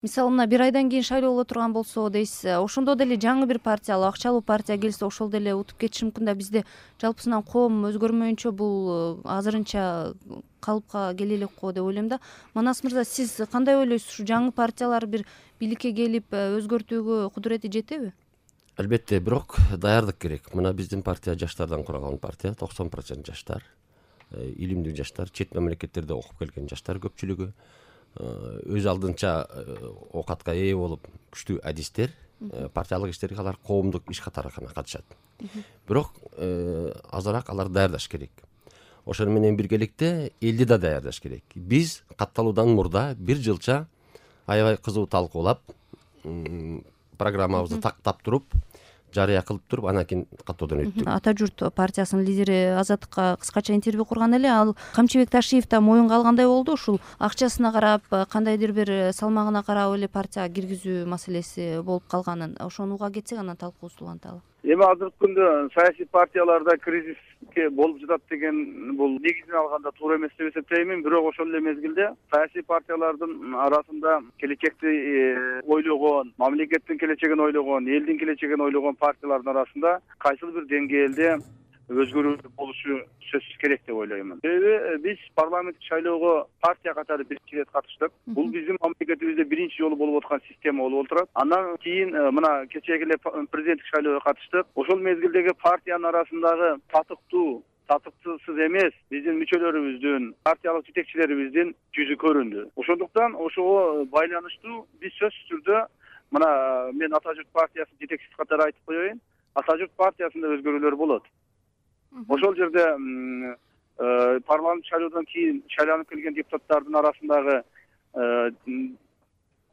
Мисалы мына бир айдан кийин шайлоо боло турган болсо дейсиз, ошондо деле жаңы бир партия, акчалуу партия келсе ошол деле утуп кетиши мүмкүн да. Бизде жалпысынан коом өзгөрмөйүнчө бул азырынча калыпка келе элек го деп ойлойм да. Манас мырза, сиз кандай ойлойсуз? Ушу жаңы партиялар бир бийликке келип өзгөртүүгө кудурети жетеби? Албетте, бирок даярдык керек. Мына биздин партия жаштардан куралган партия, 90% жаштар, илимдүү жаштар, чет мамлекеттерде окуп келген жаштар көпчүлүгү, өз алдынча оокатка ээ болуп күчтүү адистер, партиялык иштерге алар коомдук иш катары гана катышат. Бирок азыраак алар даярдаш керек. Ошону менен биргеликте элди да даярдаш керек. Биз катталуудан мурда бир жылча аябай кызуу талкуулап, программабызды тактап туруп, жарыя кылып туруп, анан кийин каттоодон өттүк. Ата журт партиясынын лидери Азаттыкка кыскача интервью курган эле. Ал Камчыбек Ташиев да моюнга алгандай болду. Ушул акчасына карап, кандайдыр бир салмагына карап эле партия киргизүү маселеси болуп калганын. Ошону уга кетсек, анан талкуубузду уланталы. Эми азыркы күндө саясий партияларда кризиске болуп жатат деген бул негизинен алганда туура эмес деп эсептеймин. Бирок ошол эле мезгилде саясий партиялардын арасында келечекти ойлогон, мамлекеттин келечегин ойлогон, элдин келечегин ойлогон партиялардын арасында кайсыл бир деңгээлде өзгөрүү болушу сөзсүз керек деп ойлоймун. Себеби биз парламенттик шайлоого партия катары биринчи ирет катыштык. Бул биздин мамлекетибизде биринчи жолу болуп аткан система болуп отурат. Андан кийин мына кечеги эле президенттик шайлоого катыштык. Ошол мезгилдеги партиянын арасындагы татыктуусуз эмес биздин мүчөлөрүбүздүн, партиялык жетекчилерибиздин жүзү көрүндү. Ошондуктан ошого байланыштуу биз сөзсүз түрдө мына мен Ата журт партиясынын жетекчиси катары айтып коеюн. Ата журт партиясында өзгөрүүлөр болот. Ошол жерде парламент шайлоодон кийин шайланып келген депутаттардын арасындагы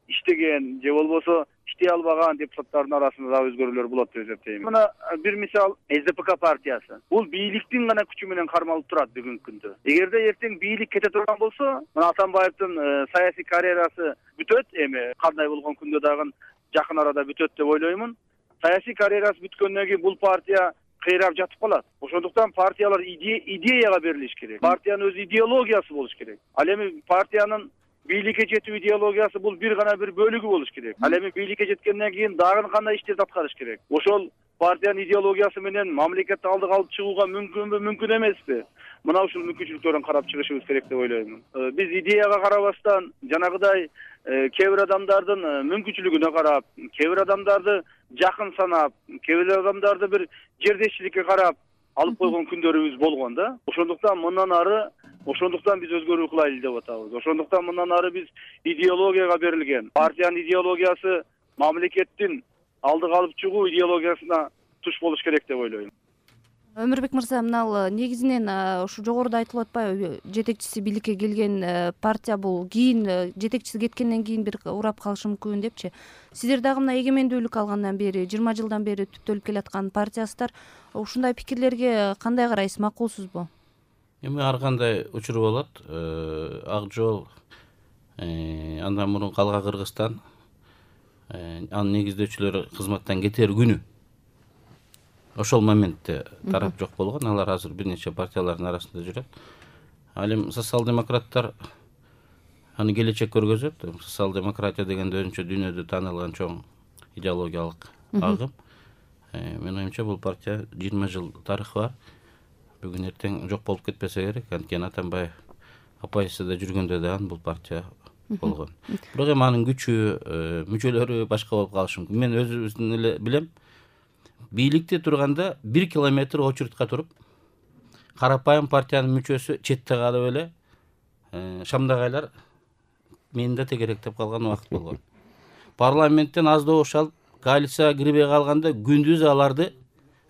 иштеген же болбосо иштей албаган депутаттардын арасында да өзгөрүүлөр болот деп эсептейм. Мына бир мисал СДПК партиясы. Бул бийликтин гана күчү менен кармалып турат бүгүнкү күндө. Эгерде эртең бийлик кете турган болсо, мына Атамбаевдин саясий карьерасы бүтөт, эми кандай болгон күндө дагы жакын арада бүтөт деп ойлоймун. Саясий карьерасы бүткөндөн кийин бул партия кыйрап жатып калат. Ошондуктан партиялар идеяга берилиш керек. Партиянын өз идеологиясы болуш керек. Ал эми партиянын бийликке жетүү идеологиясы бул бир гана бир бөлүгү болуш керек. Ал эми бийликке жеткенден кийин дагы кандай иштерди аткарыш керек. Ошол партиянын идеологиясы менен мамлекетти алдыга алып чыгууга мүмкүнбү, мүмкүн эмеспи? Мына ушул мүмкүнчүлүктөрдөн карап чыгышыбыз керек деп ойлоймун. Биз идеяга карабастан жанагыдай кээ бир адамдардын мүмкүнчүлүгүнө карап, кээ бир адамдарды жакын санап, кээ бир адамдарды бир жердешчиликке карап алып койгон күндөрүбүз болгон да. Ошондуктан биз өзгөрүү кылайлы деп атабыз. Ошондуктан мындан ары биз идеологияга берилген, партиянын идеологиясы мамлекеттин алдыга алып чыгуу идеологиясына туш болуш керек деп ойлойм. Өмүрбек мырза, мына негизинен ушу жогоруда айтылып атпайбы, жетекчиси бийликке келген партия бул кийин жетекчиси кеткенден кийин бир урап калышы мүмкүн депчи. Сиздер дагы мына эгемендүүлүк алгандан бери 20 жылдан бери түптөлүп келаткан партиясыздар. Ушундай пикирлерге кандай карайсыз, макулсузбу? Эми ар кандай учур болот. Ак жол, андан мурун Калга Кыргызстан, анын негиздөөчүлөрү кызматтан кетер күнү ошол моментте тарап жок болгон. Алар азыр бир нече партиялардын арасында жүрөт. Ал эми социал-демократтар аны келечек көргөзөт. Социал-демократия дегенде өзүнчө дүйнөдө таанылган чоң идеологиялык агым. Менин оюмча бул партия 20 жыл тарыхы бар. Бүгүн эртең жок болуп кетпесе керек. Анткени Атамбаев оппозицияда жүргөндө дагы бул партия болгон. Бирок эми анын күчү, мүчөлөрү башка болуп калышы мүмкүн. Мен өзүбүздүн эле билем. Бийликте турганда 1 километр очередька туруп, карапайым партиянын мүчөсү четте калып эле шамдагайлар мени да тегеректеп калган убакыт болгон. Парламенттен аз добуш алып, коалицияга кирбей калганда күндүз аларды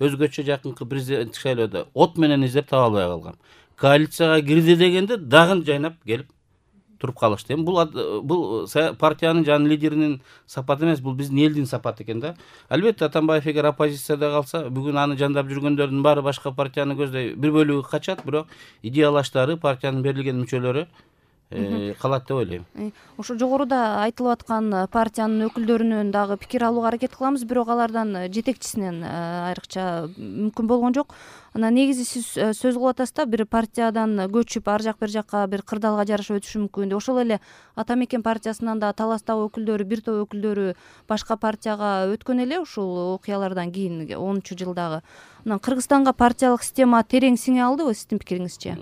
өзгөчө жакынкы президенттик шайлоодо от менен издеп таба албай калгам. Коалицияга кирди дегенде дагы жайнап келип туруп калышты. Эми бул партиянын жана лидеринин сапаты эмес, бул биздин элдин сапаты экен да. Албетте Атамбаев эгер оппозицияда калса, бүгүн аны жандап жүргөндөрдүн баары башка партияны көздөй бир бөлүгү качат, бирок идеялаштары, партиянын берилген мүчөлөрү калат деп ойлойм. Ошо жогоруда айтылып аткан партиянын өкүлдөрүнөн дагы пикир алууга аракет кылабыз, бирок алардан жетекчисинен айрыкча мүмкүн болгон жок. Анан негизи сиз сөз кылып атасыз да, бир партиядан көчүп ар жак бир жакка бир кырдаалга жараша өтүшү мүмкүн деп. Ошол эле Ата Мекен партиясынан да таластагы өкүлдөрү, бир топ өкүлдөрү башка партияга өткөн эле ушул окуялардан кийин 10-жылдагы. Анан Кыргызстанга партиялык система терең сиңе алдыбы сиздин пикириңизче?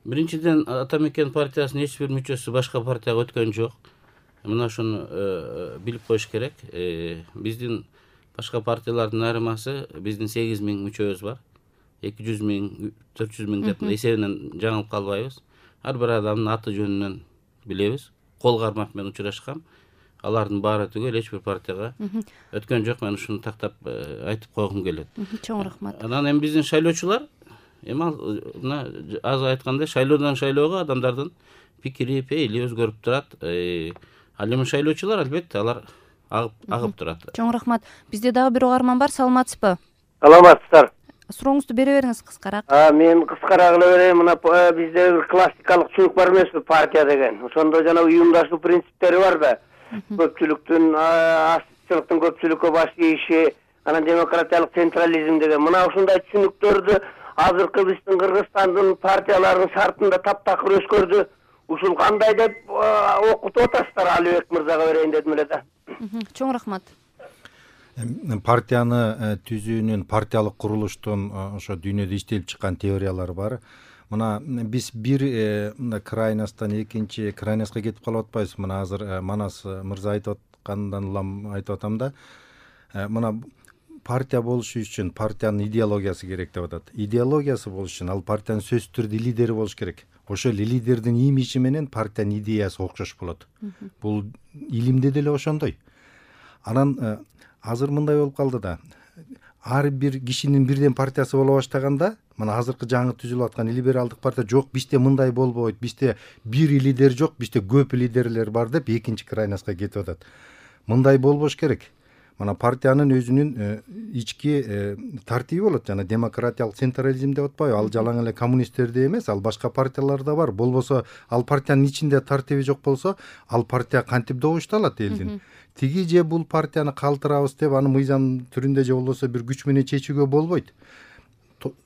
Биринчиден, Ата Мекен партиясынын эч бир мүчөсү башка партияга өткөн жок. Мына ушуну билип коюш керек. Биздин башка партиялардын айырмасы, биздин 8000 мүчөбүз бар. 200 000, 400 000 деп эсебинен жаңылып калбайбыз. Ар бир адамдын аты жөнүнөн билебиз. Кол кармак менен учурашкам. Алардын баары түгөл эч бир партияга өткөн жок. Мен ушуну тактап айтып койгум келет. Чоң рахмат. Анан эми биздин шайлоочулар, эми мына азыр айткандай, шайлоодон шайлоого адамдардын пикири, пейили өзгөрүп турат. Ал эми шайлоочулар албетте алар агып турат. Чоң рахмат. Бизде дагы бир угарман бар. Саламатсызбы? Саламатсыздар. Сурооңузду бере бериңиз кыскараак. Мен кыскараак эле берейин. Мына бизде бир классикалык түсүнүк бар эмеспи, партия деген. Ошондо жана уюмдашуу принциптери бар да. Көпчүлүктүн, астчылыктын көпчүлүккө баш ийиши, анан демократиялык централизм деген. Мына ушундай түшүнүктөрдү азыркы биздин Кыргызстандын партияларынын шартында таптакыр өскөрдү. Ушул кандай деп окутуп атасыздар? Алибек мырзага берейин дедим эле да. Чоң рахмат. Партияны түзүүнүн, партиялык курулуштун ошо дүйнөдө иштелип чыккан теориялары бар. Мына биз бир крайносттан экинчи крайностька кетип калып атпайбыз. Мына азыр Манас мырза айтып аткандан улам айтып атам да. Мына партия болуш үчүн партиянын идеологиясы керек деп атат. Идеологиясы болуш үчүн ал партиянын сөзсүз түрдө лидери болуш керек. Ошол лидердин имиджи менен партиянын идеясы окшош болот. Бул илимде деле ошондой. Анан азыр мындай болуп калды да. Ар бир кишинин бирден партиясы боло баштаганда, мына азыркы жаңы түзүлүп аткан либералдык партия жок, бизде мындай болбойт, бизде бир лидер жок, бизде көп лидерлер бар деп экинчи крайностька кетип атат. Мындай болбош керек. Мына партиянын өзүнүн ички тартиби болот, жана демократиялык централизм деп атпайбы? Ал жалаң эле коммунисттерде эмес, ал башка партияларда бар. Болбосо ал партиянын ичинде тартиби жок болсо, ал партия кантип добушталат элдин? Тиги же бул партияны калтырабыз деп аны мыйзам түрүндө же болбосо бир күч менен чечүүгө болбойт.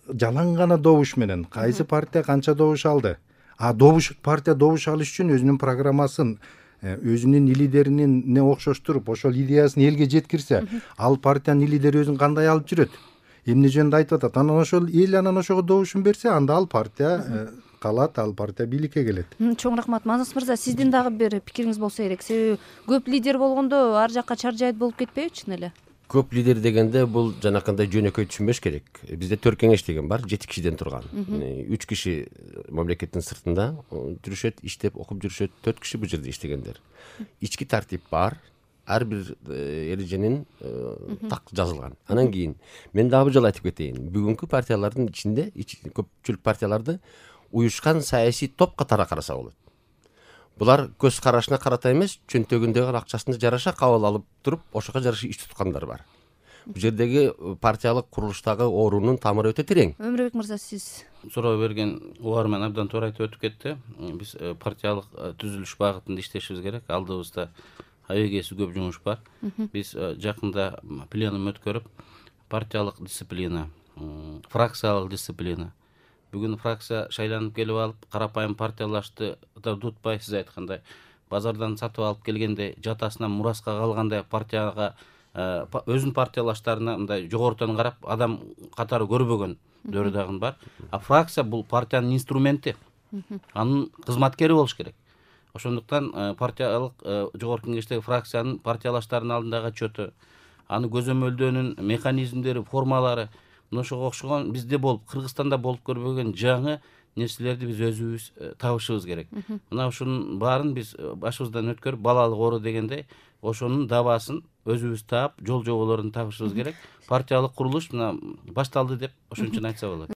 Жалаң гана добуш менен кайсы партия канча добуш алды? Партия добуш алыш үчүн өзүнүн программасын, өзүнүн лидеринин окшоштуруп, ошол идеясын элге жеткирсе, ал партиянын лидери өзүн кандай алып жүрөт? Эмне жөнүндө айтып атат? Анан ошол эл анан ошого добушун берсе, анда ал партия калат, ал партия бийликке келет. Чоң рахмат. Манас мырза, сиздин дагы бир пикириңиз болсо керек. Себеби көп лидер болгондо ар жакка чаржайт болуп кетпейби чын эле? Көп лидер дегенде бул жанакындай жөнөкөй түшүнбөш керек. Бизде 4 кеңеш деген бар, 7 кишиден турган. 3 киши мамлекеттин сыртында жүрүшөт, иштеп, окуп жүрүшөт, 4 киши бул жерде иштегендер. Ички тартип бар. Ар бир эреженин так жазылган. Анан кийин мен дагы бир жолу айтып кетейин. Бүгүнкү партиялардын ичинде, көпчүлүк партияларды уюшкан саясий топ катары караса болот. Булар көз карашына карата эмес, чөнтөгүндөгү акчасына жараша кабыл алып туруп, ошого жараша иш туткандар бар. Бул жердеги партиялык курулуштагы оорунун тамыры өтө терең. Өмүрбек мырза, сиз Суроо берген угарман абдан туура айтып өтүп кетти. Биз партиялык түзүлүш багытында иштешибиз керек. Алдыбызда абегеси көп жумуш бар. Биз жакында пленум өткөрүп, партиялык дисциплина, фракциялык дисциплина. Бүгүн фракция шайланып келип алып, карапайым партиялашты да утпай, сиз айткандай, базардан сатып алып келгенде жатасынан мураска калгандай партияга өзүнүн партиялаштарына мындай жогорутан карап адам катары көрбөгөн дөрү дагы бар. А фракция бул партиянын инструменти. Анын кызматкери болуш керек. Ошондуктан партиялык жогорку кеңештеги фракциянын партиялаштарынын алдындагы отчету, аны көзөмөлдөөнүн механизмдери, формалары ошого окшогон бизде болуп, Кыргызстанда болуп көрбөгөн жаңы нерселерди биз өзүбүз табышыбыз керек. Мына ушунун баарын биз башыбыздан өткөрүп, балалык оору дегендей, ошонун дабасын өзүбүз таап, жол жоболорун табышыбыз керек. Партиялык курулуш мына башталды деп ошон үчүн айтса болот.